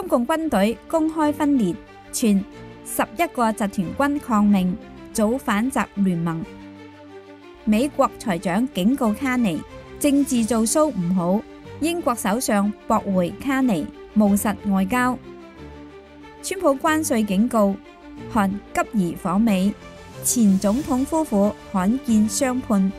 中共軍隊公開分裂，傳11個集團軍抗命，組反習聯盟。美國財長警告卡尼，政治做騷唔好。英國首相駁回卡尼，務實外交。川普關稅警告，韓急移訪美。前總統夫婦罕見相判，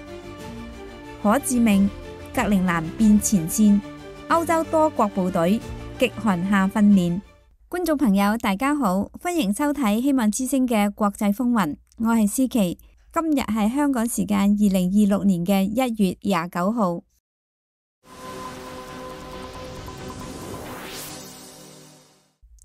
可致命。格陵蘭變前線，歐洲多國部隊極寒下訓練。觀眾朋友大家好，歡迎收睇希望之聲嘅國際風雲，我係思琪。今日係香港時間2026年嘅1月29號。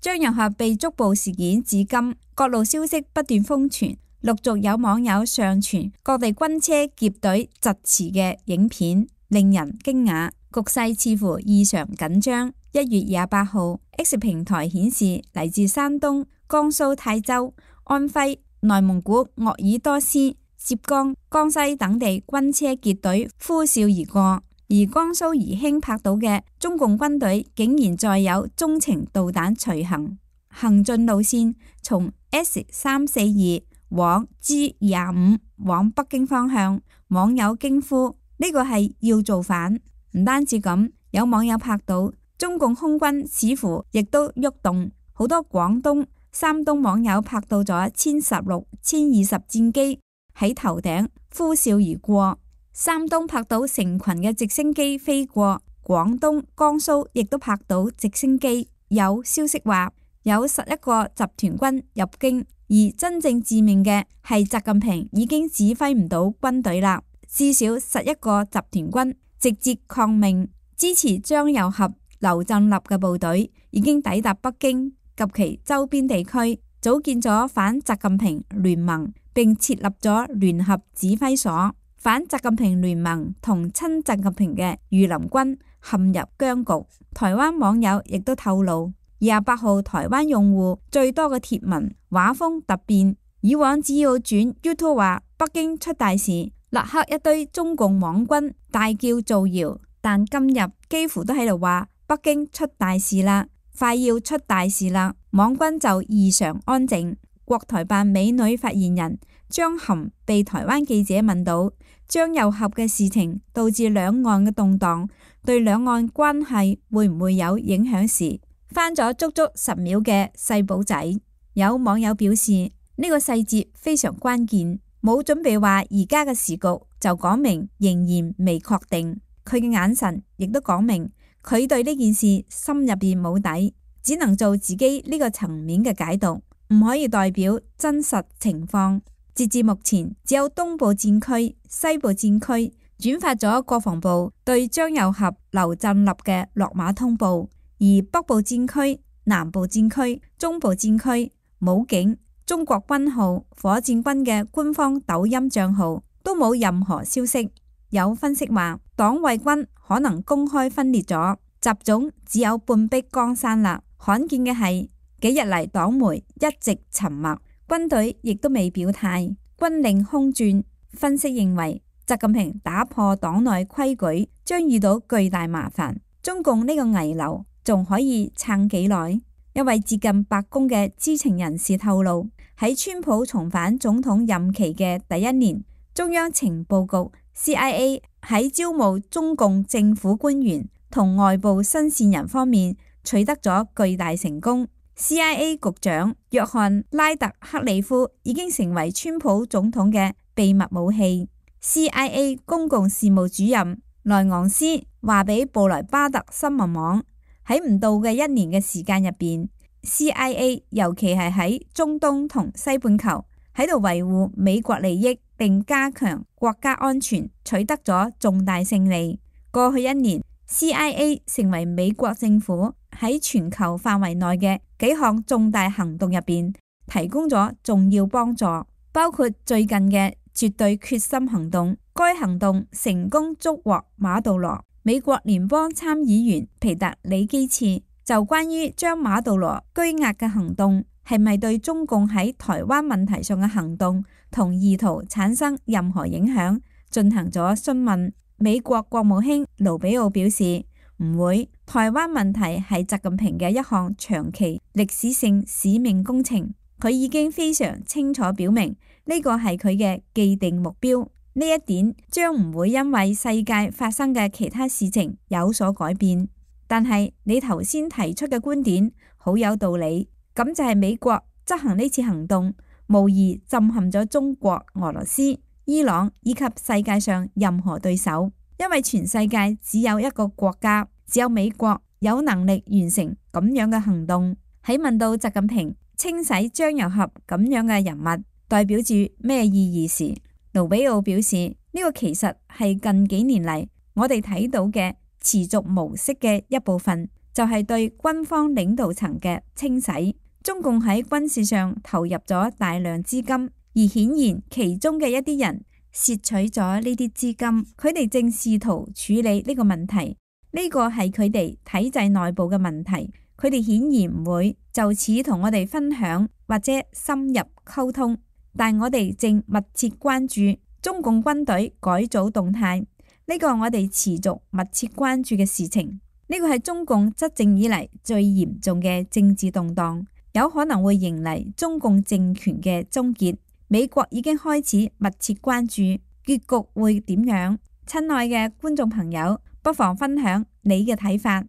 張又俠被捉捕事件至今，各路消息不斷瘋傳，陸續有網友上傳各地軍車劫隊疾馳嘅影片，令人驚訝。局勢似乎異常緊張。1月28號 X 平台顯示，嚟自山東、江蘇泰州、安徽、內蒙古鄂爾多斯、浙江、江西等地軍車結隊呼嘯而過，而江蘇宜興拍到嘅中共軍隊竟然載有中程導彈隨行，行進路線從 S342 往 G25 往北京方向，網友驚呼呢個係要造反。唔單止咁，有網友拍到中共空軍似乎亦都喐動，好多廣東、山東網友拍到咗殲16、殲20戰機喺頭頂呼嘯而過。山東拍到成群嘅直升機飛過，廣東、江蘇亦都拍到直升機。有消息話有11個集團軍入京，而真正致命嘅係習近平已經指揮唔到軍隊啦，至少11個集團軍直接抗命，支持張又俠、劉振立嘅部隊已經抵達北京及其周邊地區，組建咗反習近平聯盟，並設立咗聯合指揮所。反習近平聯盟同親習近平嘅御林軍陷入僵局。台灣網友亦都透露，28號台灣用戶最多嘅貼文畫風突變，以往只要轉 YouTube 話北京出大事，立刻一堆中共網軍大叫造謠，但今日幾乎都喺度話北京出大事啦，快要出大事啦，網軍就異常安靜。國台辦美女發言人張含被台灣記者問到張又俠嘅事情導致兩岸嘅動盪，對兩岸關係會唔會有影響時，翻咗足足10秒嘅細簿仔。有網友表示呢個細節非常關鍵，冇準備話而家嘅時局，就講明仍然未確定。佢嘅眼神亦都講明佢對呢件事心入邊冇底，只能做自己呢個層面嘅解讀，唔可以代表真實情況。截至目前，只有東部戰區、西部戰區轉發咗國防部對張又俠、劉振立嘅落馬通報，而北部戰區、南部戰區、中部戰區、武警、中國軍號、火箭軍嘅官方抖音賬號都冇任何消息。有分析話，黨衛軍可能公開分裂咗，習總只有半壁江山啦。罕見嘅係幾日嚟黨媒一直沉默，軍隊亦都未表態，軍令空轉。分析認為，習近平打破黨內規矩將遇到巨大麻煩。中共呢個危樓仲可以撐幾耐？一位接近白宮嘅知情人士透露，喺川普重返總統任期嘅第一年，中央情報局 CIA 喺招募中共政府官員同外部新線人方面取得咗巨大成功。CIA 局長約翰拉特克里夫已經成為川普總統嘅秘密武器。CIA 公共事務主任萊昂斯話俾布萊巴特新聞網，喺唔到嘅1年嘅時間入邊， CIA 尤其係喺中東同西半球喺度維護美國利益並加強國家安全，取得咗重大勝利。過去1年， CIA 成為美國政府喺全球範圍內嘅幾項重大行動入邊提供咗重要幫助，包括最近嘅絕對決心行動。該行動成功捉獲馬杜羅。美國聯邦參議員皮特里基茨就關於將馬杜羅拘押嘅行動係咪對中共喺台灣問題上嘅行動同意圖產生任何影響進行咗詢問。美國國務卿盧比奧表示，唔會。台灣問題係習近平嘅一項長期歷史性使命工程，佢已經非常清楚表明呢個係佢嘅既定目標。呢一點將唔會因為世界發生嘅其他事情有所改變。但係你頭先提出嘅觀點好有道理，咁就係美國執行呢次行動，無疑震撼咗中國、俄羅斯、伊朗以及世界上任何對手，因為全世界只有一個國家，只有美國有能力完成咁樣嘅行動。喺問到習近平清洗張又俠咁樣嘅人物代表住咩意義時，盧比奧表示呢個其實係近幾年嚟我哋睇到嘅持續模式嘅一部分，就係對軍方領導層嘅清洗。中共喺軍事上投入咗大量資金，而顯然其中嘅一啲人竊取咗呢啲資金，佢哋正試圖處理呢個問題。呢個係佢哋體制內部嘅問題，佢哋顯然唔會就此同我哋分享或者深入溝通。但我哋正密切關注中共軍隊改組動態，呢個我哋持續密切關注嘅事情。呢個係中共執政以嚟最嚴重嘅政治動盪，有可能會迎嚟中共政權嘅終結。美國已經開始密切關注結局會點樣。親愛嘅觀眾朋友，不妨分享你嘅睇法。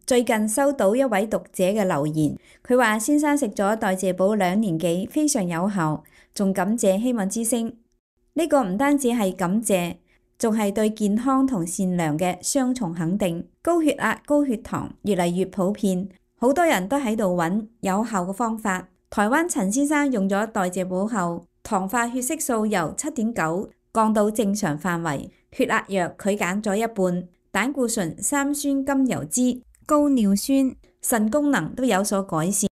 最近收到一位讀者嘅留言，佢話先生食咗代謝寶2年幾，非常有效，仲感謝希望之聲。呢個唔單止係感謝，仲係對健康同善良嘅雙重肯定。高血壓、高血糖越嚟越普遍，好多人都喺度揾有效嘅方法。台灣陳先生用咗代謝寶後，糖化血色素由7.9降到正常範圍，血壓藥佢減咗一半，膽固醇、三酸甘油酯、高尿酸、腎功能都有所改善。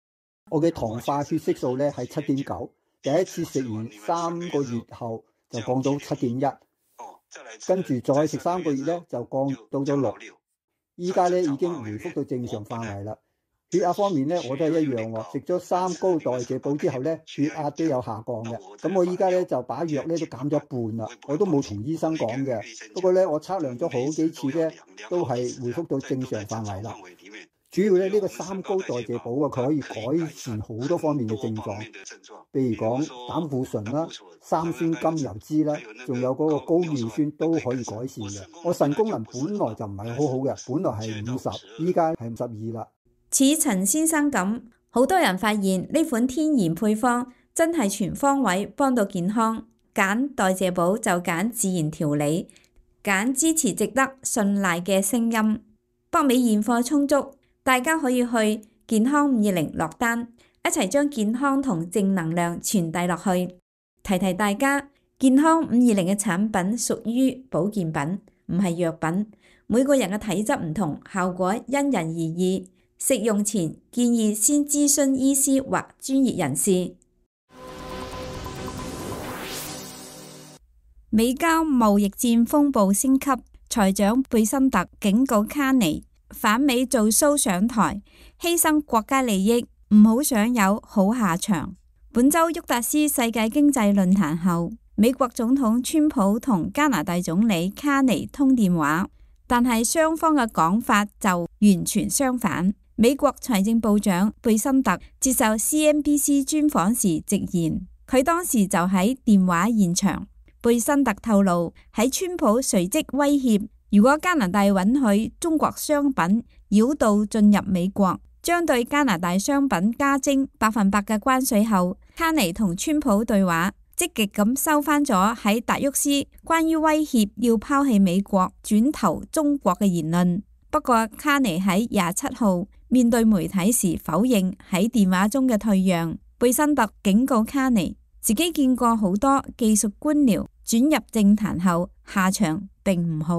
我嘅糖化血色素咧係7.9，第一次食完3個月後就降到7.1，跟住再食3個月咧就降到咗6，依家咧已經回復到正常範圍啦。血壓方面咧我都係一樣喎，食咗3高代謝寶之後咧血壓都有下降嘅。咁我依家咧就把藥咧都減咗一半啦，我都冇同醫生講嘅。不過咧我測量咗好幾次咧都係回復到正常範圍啦。主要咧呢個3高代謝寶啊，佢可以改善好多方面嘅症狀，譬如講膽固醇啦、三酸甘油酯啦，仲有嗰個高尿酸都可以改善嘅。我腎功能本來就唔係好好嘅，本來係50，依家係52啦。似陳先生咁，好多人發現呢款天然配方真係全方位幫到健康。揀代謝寶就揀自然調理，揀支持值得信賴嘅聲音。北美現貨充足，大家可以去健康520落單，一齊將健康同正能量傳遞落去。提提大家，健康520嘅產品屬於保健品，唔係藥品。每個人嘅體質唔同，效果因人而異。食用前建議先諮詢醫師或專業人士。美交貿易戰風暴升級，財長貝辛特警告卡尼反美做 show 上台，犧牲國家利益，唔好想有好下場。本周沃達斯世界經濟論壇後，美國總統川普同加拿大總理卡尼通電話，但係雙方嘅講法就完全相反。美國財政部長貝辛特接受 CNBC 專訪時直言，佢當時就喺電話現場。貝辛特透露，喺川普隨即威脅，如果加拿大允許中國商品繞道進入美國，將對加拿大商品加徵100%嘅關稅後，卡尼同川普對話，積極咁收返咗喺達沃斯關於威脅要拋棄美國轉投中國嘅言論。不過卡尼喺27號面對媒體時否認喺電話中嘅退讓。貝辛特警告卡尼，自己見過好多技術官僚轉入政壇後下場並唔好，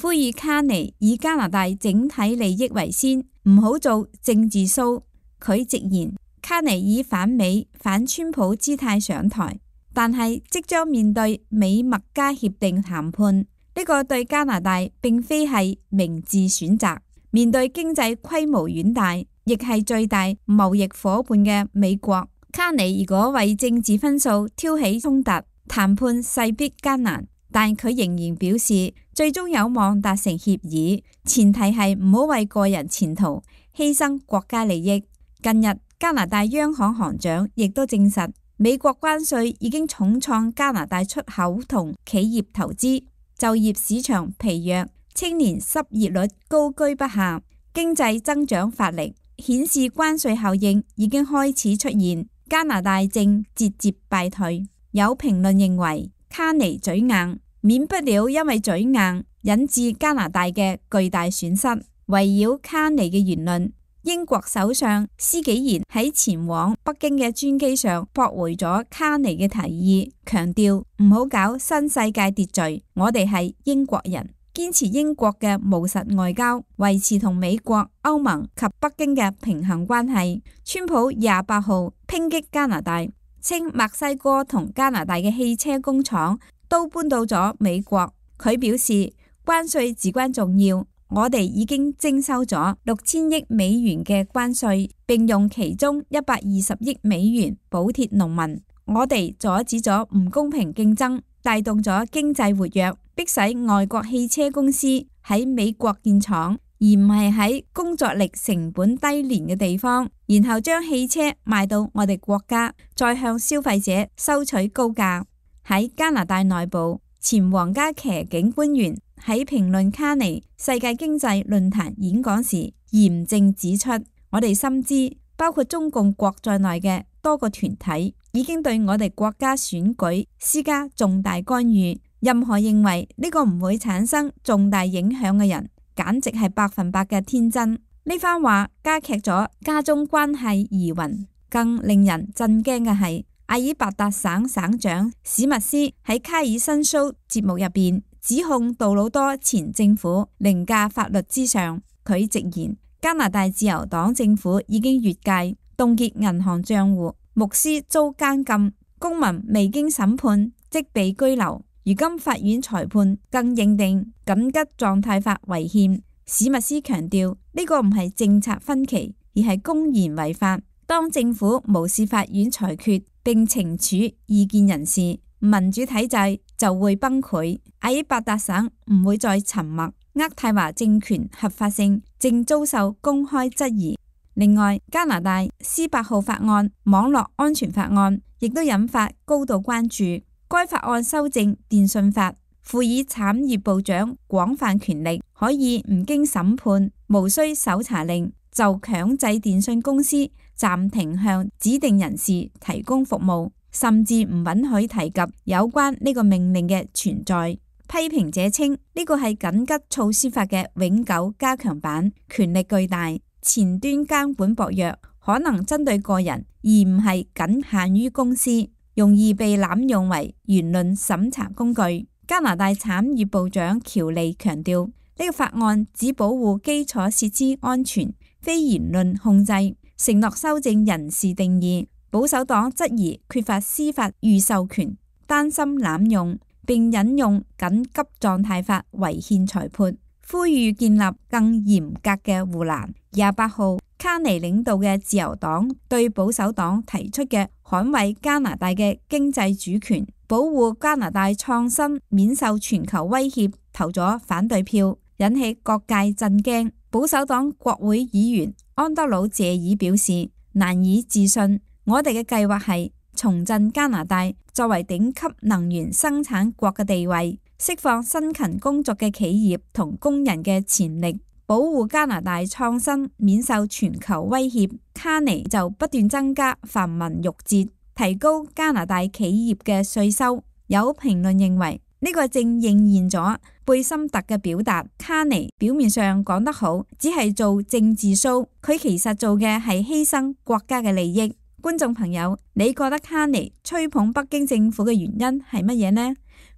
呼籲卡尼以加拿大整體利益為先，唔好做政治 show。佢直言卡尼以反美反川普姿態上台，但係即將面對美墨加協定談判，呢個對加拿大並非係明智選擇。面對經濟規模遠大，亦係最大貿易夥伴嘅美國，卡尼如果為政治分數挑起衝突，談判勢必艱難。但佢仍然表示，最終有望達成協議，前提係唔好為個人前途犧牲國家利益。近日加拿大央行行長亦都證實，美國關稅已經重創加拿大出口同企業投資，就業市場疲弱，青年失業率高居不下，經濟增長乏力，顯示關稅效應已經開始出現，加拿大正節節敗退。有評論認為，卡尼嘴硬，免不了因為嘴硬引致加拿大嘅巨大損失。圍繞卡尼嘅言論，英國首相施紀賢喺前往北京嘅專機上駁回咗卡尼嘅提議，強調唔好搞新世界秩序，我哋係英國人，堅持英國嘅務實外交，維持同美國、歐盟及北京嘅平衡關係。川普28號抨擊加拿大，稱墨西哥同加拿大嘅汽車工廠都搬到咗美國。佢表示關稅至關重要，我哋已經徵收咗6000億美元嘅關稅，並用其中120億美元補貼農民。我哋阻止咗唔公平競爭，帶動咗經濟活躍，迫使外國汽車公司喺美國建廠，而唔係喺工作力成本低廉嘅地方，然後將汽車賣到我哋國家，再向消費者收取高價。喺加拿大內部，前皇家騎警官員喺評論卡尼世界經濟論壇演講時嚴正指出，我哋深知包括中共國在內嘅多個團體已經對我哋國家選舉施加重大干預，任何認為呢個唔會產生重大影響嘅人，簡直係100%嘅天真。呢番話加劇咗加中關係疑雲。更令人震驚嘅係，阿爾伯達省省長史密斯喺卡爾申蘇節目入邊指控杜魯多前政府凌駕法律之上。佢直言，加拿大自由黨政府已經越界，凍結銀行賬戶，牧師遭監禁，公民未經審判即被拘留。如今法院裁判更認定緊急狀態法違憲。史密斯強調，呢個唔係政策分歧，而係公然違法。當政府無視法院裁決並懲處異見人士，民主體制就會崩潰。阿爾伯達省唔會再沉默。渥太華政權合法性正遭受公開質疑。另外，加拿大C8號法案網絡安全法案亦都引發高度關注。該法案修正電信法，賦予產業部長廣泛權力，可以唔經審判、無需搜查令就強制電信公司暫停向指定人士提供服務，甚至唔允許提及有關呢個命令嘅存在。批評者稱呢個係緊急措施法嘅永久加強版，權力巨大，前端監管薄弱，可能針對個人而唔係僅限於公司，容易被濫用為言論審查工具。加拿大產業部長喬利強調，呢個法案只保護基礎設施安全，非言論控制，承諾修正人事定義。保守黨質疑缺乏司法預授權，擔心濫用，並引用緊急狀態法違憲裁判，呼籲建立更嚴格嘅護欄。28號，卡尼領導嘅自由黨對保守黨提出嘅捍衛加拿大嘅經濟主權、保護加拿大創新免受全球威脅投咗反對票，引起各界震驚。保守黨國會議員安德魯謝爾表示難以置信，我哋嘅計劃係重振加拿大作為頂級能源生產國嘅地位，釋放辛勤工作嘅企業同工人嘅潛力，保護加拿大創新免受全球威脅。卡尼就不斷增加繁文縟節，提高加拿大企業嘅稅收。有評論認為呢個正應驗咗貝森特嘅表達，卡尼表面上講得好，只係做政治 show， 佢其實做嘅係犧牲國家嘅利益。觀眾朋友，你覺得卡尼吹捧北京政府嘅原因係乜嘢呢？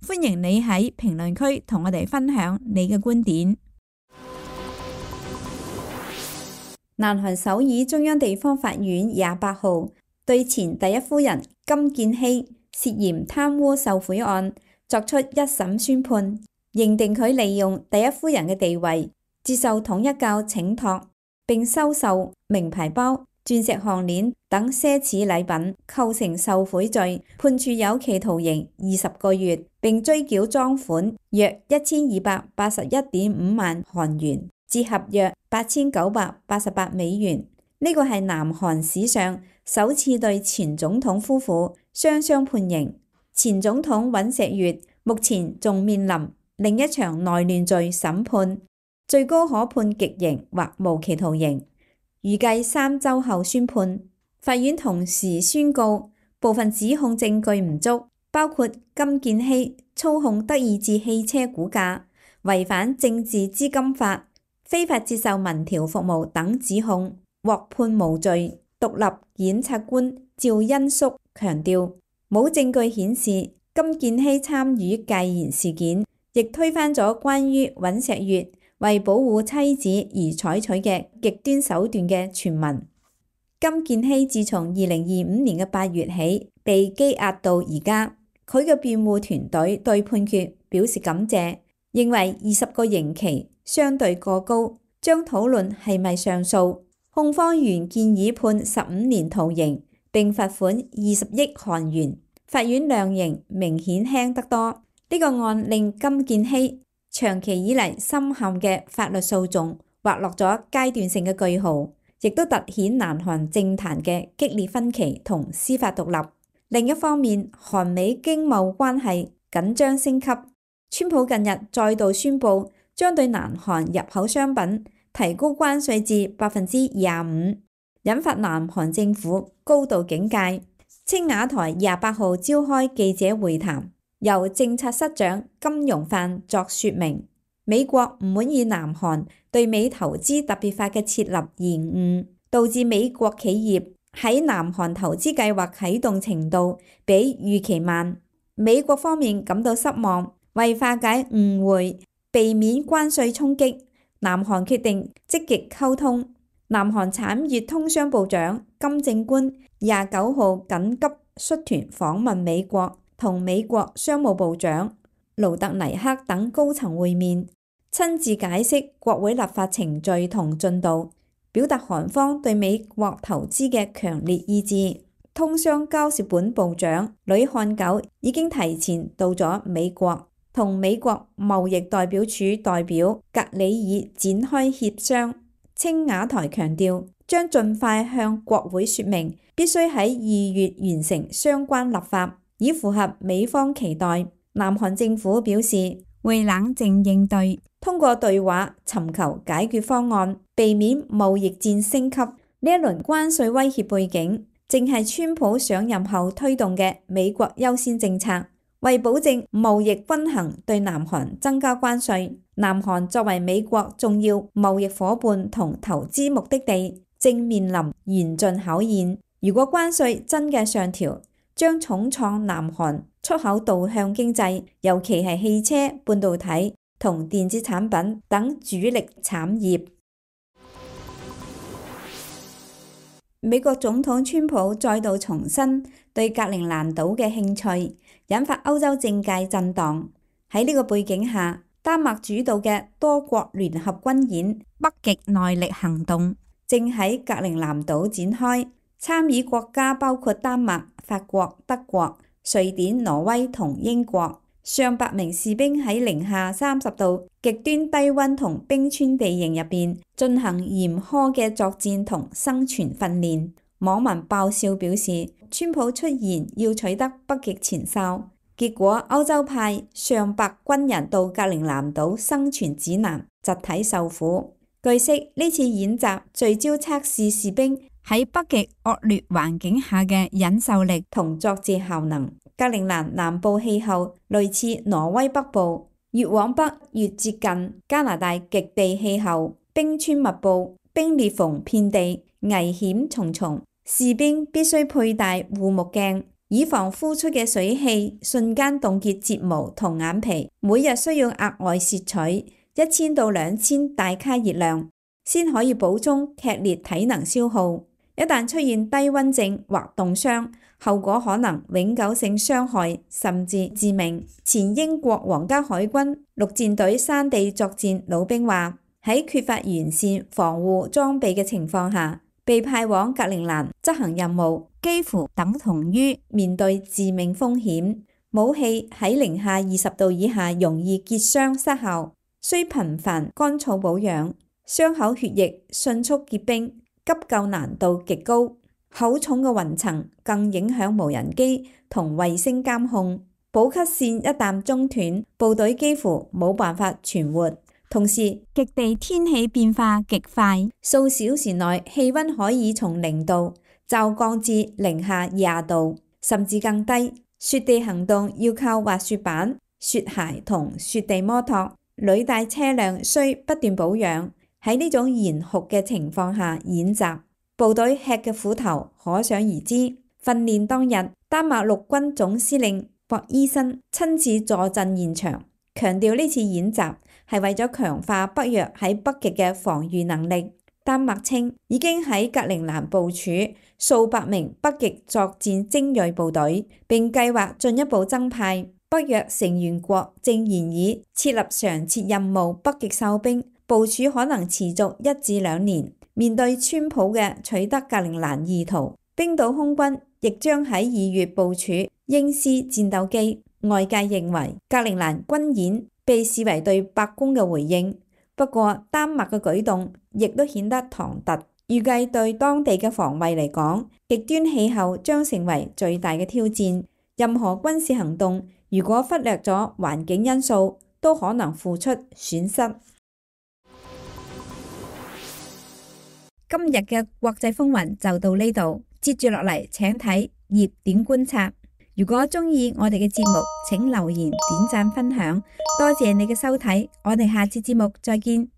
歡迎你喺評論區同我哋分享你嘅觀點。南韓首爾中央地方法院28號對前第一夫人金建希涉嫌貪污受賄案作出一審宣判，認定佢利用第一夫人嘅地位接受統一教請託並收受名牌包，鑽石項鏈等奢侈禮品，構成受賄罪，判處有期徒刑20個月，並追繳贓款約1281.5萬韓元，折合約8988美元。呢個係南韓史上首次對前總統夫婦雙雙判刑。前總統尹錫悅目前仲面臨另一場內亂罪審判，最高可判極刑或無期徒刑，預計3週後宣判。法院同時宣告部分指控證據唔足，包括金建希操控德意志汽車股價、違反政治資金法、非法接受民調服務等指控，獲判無罪。獨立檢察官趙恩淑強調，冇證據顯示金建希參與戒嚴事件，亦推翻咗關於尹錫悅為保護妻子而採取嘅極端手段嘅傳聞。金建希自從2025年嘅8月起被羈押到而家，佢嘅辯護團隊對判決表示感謝，認為20個刑期相對過高，將討論係咪上訴。控方原建議判15年徒刑並罰款20億韓元，法院量刑明顯輕得多。呢個案令金建希長期以嚟深陷嘅法律訴訟劃落咗階段性嘅句號，亦都凸顯南韓政壇嘅激烈分歧同司法獨立。另一方面，韓美經貿關係緊張升級，川普近日再度宣布將對南韓入口商品提高關稅至25%，引發南韓政府高度警戒。青瓦台28號召開記者會談，由政策室長金容範作說明，美國唔滿意南韓對美投資特別法嘅設立延誤，導致美國企業喺南韓投資計劃啟動程度比預期慢。美國方面感到失望，為化解誤會，避免關稅衝擊，南韓決定積極溝通。南韓產業通商部長金正官29號緊急率團訪問美國，同美國商務部長盧特尼克等高層會面，親自解釋國會立法程序同進度，表達韓方對美國投資嘅強烈意志。通商交涉本部長呂漢九已經提前到咗美國，同美國貿易代表處代表格里爾展開協商。青瓦台強調將盡快向國會說明，必須喺2月完成相關立法，以符合美方期待。南韓政府表示會冷靜應對，通過對話尋求解決方案，避免貿易戰升級。呢一輪關稅威脅背景，正係川普上任後推動嘅美國優先政策，為保證貿易均衡，對南韓增加關稅。南韓作為美國重要貿易夥伴同投資目的地，正面臨嚴峻考驗。如果關稅真嘅上調，將重創南韓出口導向經濟，尤其係汽車、半導體同電子產品等主力產業。美國總統川普再度重申對格陵蘭島嘅興趣，引發歐洲政界震盪。喺呢個背景下，丹麥主導嘅多國聯合軍演北極耐力行動正喺格陵蘭島展開，參與國家包括丹麥、法國、德國、瑞典、挪威同英國。上百名士兵喺零下30度極端低溫同冰川地形入邊進行嚴苛嘅作戰同生存訓練。網民爆笑表示，川普出言要取得北極前哨，結果歐洲派上百軍人到格陵蘭島生存指南，集體受苦。據悉，呢次演習聚焦測試士兵喺北極惡劣環境下嘅忍受力同作戰效能。格陵蘭南部氣候類似挪威北部，越往北越接近加拿大極地氣候，冰川密布，冰裂縫遍地，危險重重。士兵必須佩戴護目鏡，以防呼出嘅水汽瞬間凍結睫毛同眼皮。每日需要額外攝取1000到2000大卡熱量，先可以補充劇烈體能消耗。一旦出現低溫症或凍傷，後果可能永久性傷害甚至致命。前英國皇家海軍陸戰隊山地作戰老兵話，喺缺乏完善防護裝備嘅情況下，被派往格陵蘭執行任務，幾乎等同於面對致命風險。武器喺-20°以下容易結霜失效，需頻繁乾燥保養，傷口血液迅速結冰，急救難度極高。厚重嘅雲層更影響無人機同衛星監控。補給線一旦中斷，部隊幾乎冇辦法存活。同時，極地天氣變化極快，數小時內氣溫可以從0度驟降至-20°，甚至更低。雪地行動要靠滑雪板、雪鞋同雪地摩托，履帶車輛需不斷保養。喺呢種嚴酷嘅情況下演習，部隊吃嘅苦頭可想而知。訓練當日，丹麥陸軍總司令博伊森親自坐鎮現場，強調呢次演習係為咗強化北約喺北極嘅防禦能力。丹麥稱已經喺格陵蘭部署數百名北極作戰精鋭部隊，並計劃進一步增派。北約成員國正研議設立常設任務北極哨兵，部署可能持續1至2年。面對川普嘅取得格陵蘭意圖，冰島空軍亦將喺2月部署鷹獅戰鬥機。外界認為格陵蘭軍演被視為對白宮嘅回應，不過丹麥嘅舉動亦都顯得唐突。預計對當地嘅防衛嚟講，極端氣候將成為最大嘅挑戰。任何軍事行動如果忽略咗環境因素，都可能付出損失。今日嘅國際風雲就到呢度，接住落嚟請睇熱點觀察。如果中意我哋嘅節目，請留言、點讚、分享，多謝你嘅收睇，我哋下次節目再見。